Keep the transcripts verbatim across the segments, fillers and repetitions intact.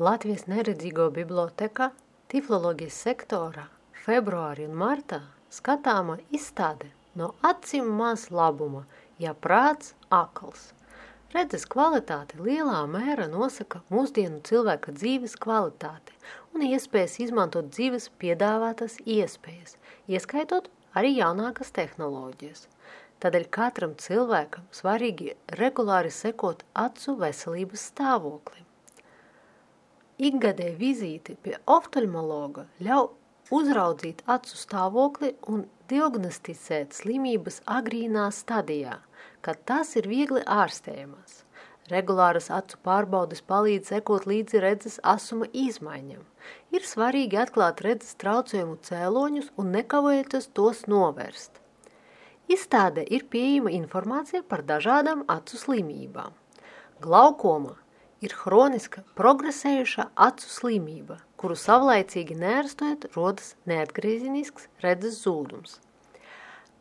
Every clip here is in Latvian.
Latvijas neredzīgo biblioteka tifloloģijas sektorā februārī un martā skatāma izstāde no acīm maz labuma, ja prāts akls. Redzes kvalitāte lielā mērā nosaka mūsdienu cilvēka dzīves kvalitāti un iespējas izmantot dzīves piedāvātas iespējas, ieskaitot arī jaunākas tehnoloģijas. Tādēļ katram cilvēkam svarīgi regulāri sekot acu veselības stāvoklim. Ikgadēja vizīte pie oftalmologa ļauj uzraudzīt acu stāvokli un diagnosticēt slimības agrīnā stadijā, kad tas ir viegli ārstējamās. Regulāras acu pārbaudes palīdz sekot līdzi redzes asuma izmaiņam. Ir svarīgi atklāt redzes traucējumu cēloņus un nekavējoties tos novērst. Izstādē ir pieejama informācija par dažādām acu slimībām. Glaukoma ir hroniska, progresējuša acu slimība, kuru savlaicīgi neārstojot rodas neatgriezenisks redzes zūdums.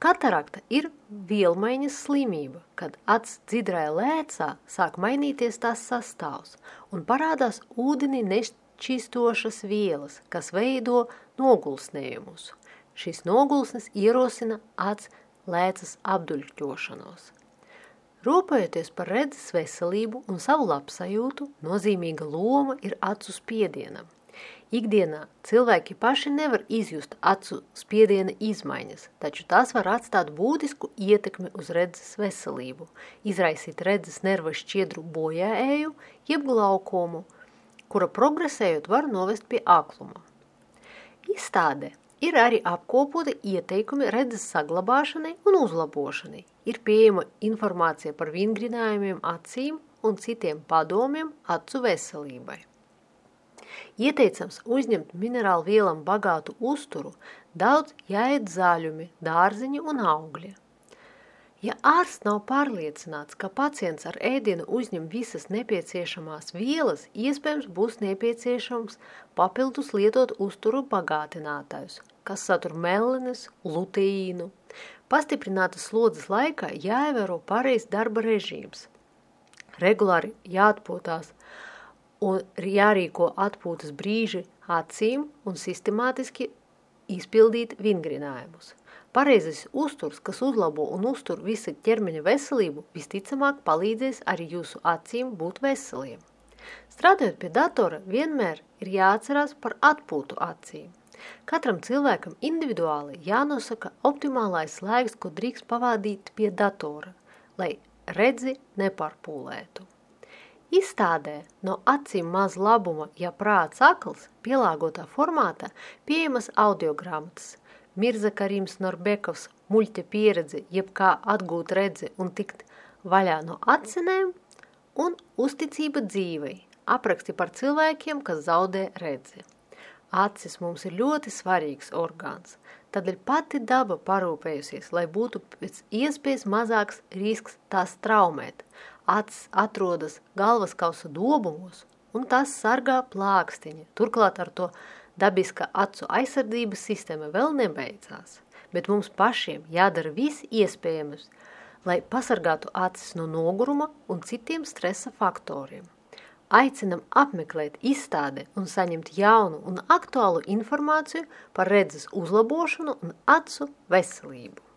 Katarakta ir vielmaiņas slimība, kad acs dzidrai lēcā sāk mainīties tās sastāvs un parādās ūdeni nešķīstošas vielas, kas veido nogulsnējumus. Šis nogulsnes ierosina acs lēcas apduļķošanos. Rūpējoties par redzes veselību un savu labsajūtu, nozīmīga loma ir acu spiedienam. Ikdienā cilvēki paši nevar izjust acu spiediena izmaiņas, taču tas var atstāt būtisku ietekmi uz redzes veselību, izraisīt redzes nerva šķiedru bojāēju, jeb glaukomu, kura progresējot var novest pie akluma. Izstādē ir arī apkopoti ieteikumi redzes saglabāšanai un uzlabošanai. Ir pieejama informācija par vingrinājumiem acīm un citiem padomiem acu veselībai. Ieteicams uzņemt minerālu vielam bagātu uzturu, daudz jāēd zaļumi, dārziņi un augļi. Ja ārsts nav pārliecināts, ka pacients ar ēdienu uzņem visas nepieciešamās vielas, iespējams būs nepieciešams papildus lietot uzturu bagātinātājus, kas satur melanes, luteīnu. Pastiprinātas slodzes laikā jāievēro pareizs darba režīms. Regulāri jāatpūtās un jārīko atpūtas brīži acīm un sistemātiski izpildīt vingrinājumus. Pareizais uzturs, kas uzlabo un uztur visa ķermeņa veselību, visticamāk palīdzēs arī jūsu acīm būt veseliem. Strādājot pie datora, vienmēr ir jāatcerās par atpūtu acīm. Katram cilvēkam individuāli jānosaka optimālais laiks, ko drīkst pavadīt pie datora, lai redzi nepārpūlētu. Izstādē no acīm maz labuma, ja prāts akls, pielāgotā formātā pieejamas audiogrāmatas, Mirza Karims Norbekovs muļķa pieredze, jeb kā atgūt redzi un tikt vaļā no acinēm, un uzticība dzīvei, apraksti par cilvēkiem, kas zaudē redzi. Acis mums ir ļoti svarīgs orgāns, tādēļ pati daba parūpējusies, lai būtu pēc iespējas mazāks risks tās traumēt. Acis atrodas galvaskausa dobumos, un tās sargā plākstiņa. Turklāt ar to dabiska acu aizsardzības sistēma vēl nebeidzās, bet mums pašiem jādara viss iespējams, lai pasargātu acis no noguruma un citiem stresa faktoriem. Aicinam apmeklēt izstādi un saņemt jaunu un aktuālu informāciju par redzes uzlabošanu un acu veselību.